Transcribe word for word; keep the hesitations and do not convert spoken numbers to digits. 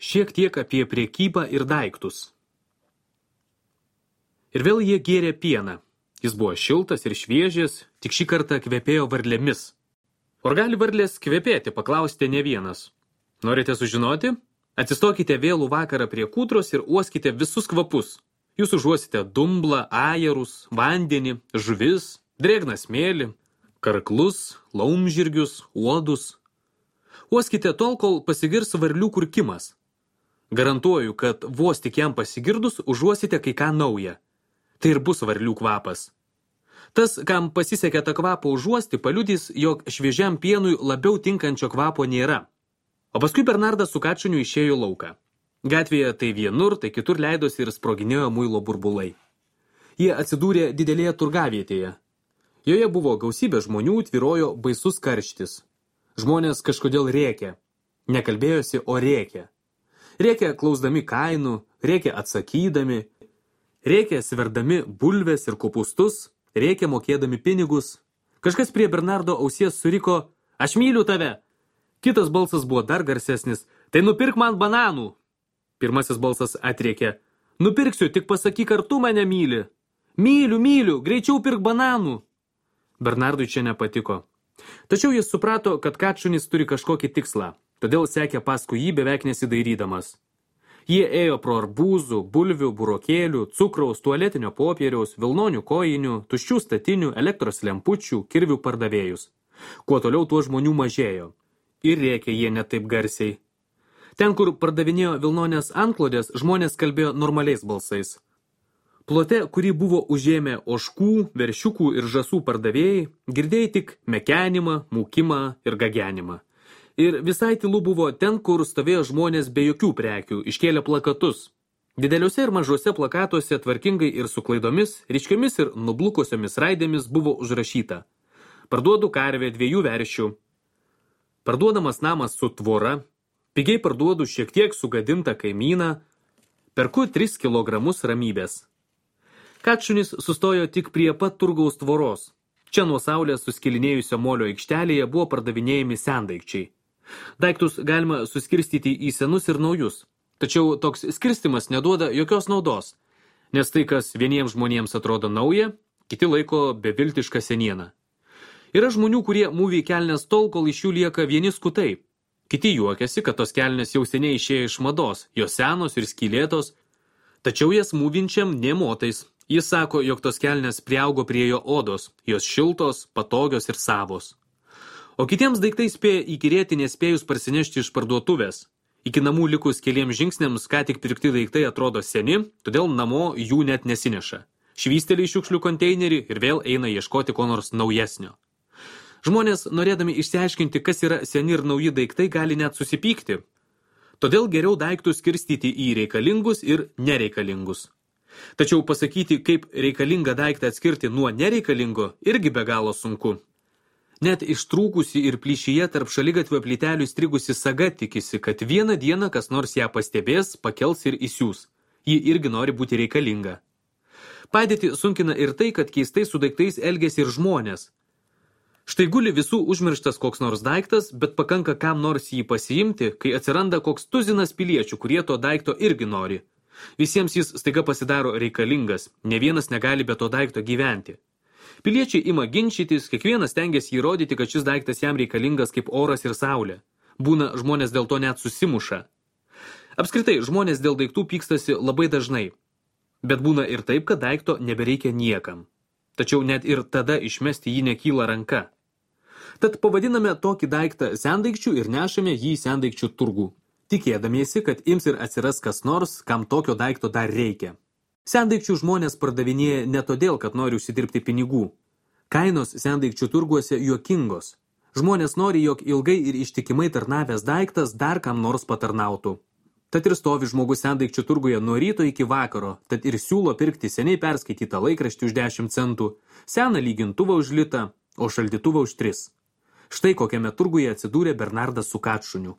Šiek tiek apie priekybą ir daiktus. Ir vėl jie gėrė pieną. Jis buvo šiltas ir šviežias, tik šį kartą kvepėjo varlėmis. Ar gali varlės kvepėti, paklausite ne vienas. Norite sužinoti? Atsistokite vėlų vakarą prie kūdros ir uoskite visus kvapus. Jūs užuosite dumblą, ajerus, vandenį, žuvis, drėgną smėlį, karklus, laumžirgius, uodus. Uoskite tol, kol pasigirs varlių kurkimas. Garantuoju, kad vos tik jam pasigirdus užuosite kai ką naują. Tai ir bus varlių kvapas. Tas, kam pasisekė tą kvapą užuosti, paliudys, jog šviežiam pienui labiau tinkančio kvapo nėra. O paskui Bernardas su Kačuniu išėjo lauką. Gatvėje tai vienur, tai kitur leidosi ir sproginėjo muilo burbulai. Jie atsidūrė didelėje turgavietėje. Joje buvo gausybė žmonių, tvyrojo baisus karštis. Žmonės kažkodėl rėkė. Nekalbėjosi, o rėkė. Rėkė klausdami kainų, rėkė atsakydami, rėkė sverdami bulves ir kopūstus, rėkė mokėdami pinigus. Kažkas prie Bernardo ausies suriko, aš myliu tave. Kitas balsas buvo dar garsesnis, tai nupirk man bananų. Pirmasis balsas atrėkė, nupirksiu, tik pasakyk, ar tu mane myli. Myliu, myliu, greičiau pirk bananų. Bernardui čia nepatiko. Tačiau jis suprato, kad Kačunis turi kažkokį tikslą, todėl sekė paskui jį beveik nesidairydamas. Jie ėjo pro arbūzų, bulvių, burokėlių, cukraus, tualetinio popieriaus, vilnonių kojinių, tuščių statinių, elektros lempučių, kirvių pardavėjus. Kuo toliau, tuo žmonių mažėjo. Ir rėkė jie ne taip garsiai. Ten, kur pardavinėjo vilnonės antklodės, žmonės kalbėjo normaliais balsais. Plote, kurį buvo užėmę ožkų, veršiukų ir žąsų pardavėjai, girdėjai tik mekenimą, mūkimą ir gagenimą. Ir visai tylu buvo ten, kur stovėjo žmonės be jokių prekių, iškėlė plakatus. Dideliuose ir mažuose plakatuose tvarkingai ir su klaidomis, ryškiomis ir nublukosiomis raidėmis buvo užrašyta. Parduodu karvę dviejų veršių. Parduodamas namas su tvora. Pigiai parduodu šiek tiek sugadintą kaimyną. Perku tris kilogramus ramybės. Kačunis sustojo tik prie pat turgaus tvoros. Čia nuo saulės suskilinėjusio molio aikštelėje buvo pardavinėjami sendaikčiai. Daiktus galima suskirstyti į senus ir naujus. Tačiau toks skirstimas neduoda jokios naudos, nes tai, kas vieniems žmonėms atrodo nauja, kiti laiko beviltišką senieną. Yra žmonių, kurie mūvi kelnes tol, kol iš jų lieka vieni skutai. Kiti juokiasi, kad tos kelnes jau seniai išėjo iš mados, jos senos ir skylėtos, tačiau jas mūvinčiam nė motais. Jis sako, jog tos kelnes priaugo prie jo odos, jos šiltos, patogios ir savos. O kitiems daiktai spėja įkyrėti nespėjus parsinešti iš parduotuvės. Iki namų likus keliems žingsniams, ką tik pirkti daiktai atrodo seni, todėl namo jų net nesineša. Švysteli į šiukšlių konteinerį ir vėl eina ieškoti ko nors naujesnio. Žmonės, norėdami išsiaiškinti, kas yra seni ir nauji daiktai, gali net susipykti. Todėl geriau daiktus skirstyti į reikalingus ir nereikalingus. Tačiau pasakyti, kaip reikalingą daiktą atskirti nuo nereikalingo, irgi be galo sunku. Net ištrūkusi ir plyšyje tarp šaligatvio plytelių įstrigusi saga tikisi, kad vieną dieną kas nors ją pastebės, pakels ir įsiūs. Ji irgi nori būti reikalinga. Padėtį sunkina ir tai, kad keistai su daiktais elgiasi ir žmonės. Štai guli visų užmirštas koks nors daiktas, bet pakanka kam nors jį pasiimti, kai atsiranda koks tuzinas piliečių, kurie to daikto irgi nori. Visiems jis staiga pasidaro reikalingas, ne vienas negali be to daikto gyventi. Piliečiai ima ginčytis, kiekvienas stengiasi įrodyti, kad šis daiktas jam reikalingas kaip oras ir saulė. Būna žmonės dėl to net susimuša. Apskritai, žmonės dėl daiktų pykstasi labai dažnai. Bet būna ir taip, kad daikto nebereikia niekam. Tačiau net ir tada išmesti jį nekyla ranka. Tad pavadiname tokį daiktą sendaikčių ir nešame jį į sendaikčių turgų, tikėdamiesi, kad ims ir atsiras kas nors, kam tokio daikto dar reikia. Sendaikčių žmonės pardavinėja ne todėl, kad nori užsidirbti pinigų. Kainos sendaikčių turguose juokingos. Žmonės nori, jog ilgai ir ištikimai tarnavęs daiktas dar kam nors patarnautų. Tad ir stovi žmogus sendaikčių turguje nuo ryto iki vakaro, tad ir siūlo pirkti seniai perskaitytą laikraštį už dešimt centų, seną lygintuvą už litą, o šaldytuvą už tris. Štai kokiame turguje atsidūrė Bernardas su Kačuniu.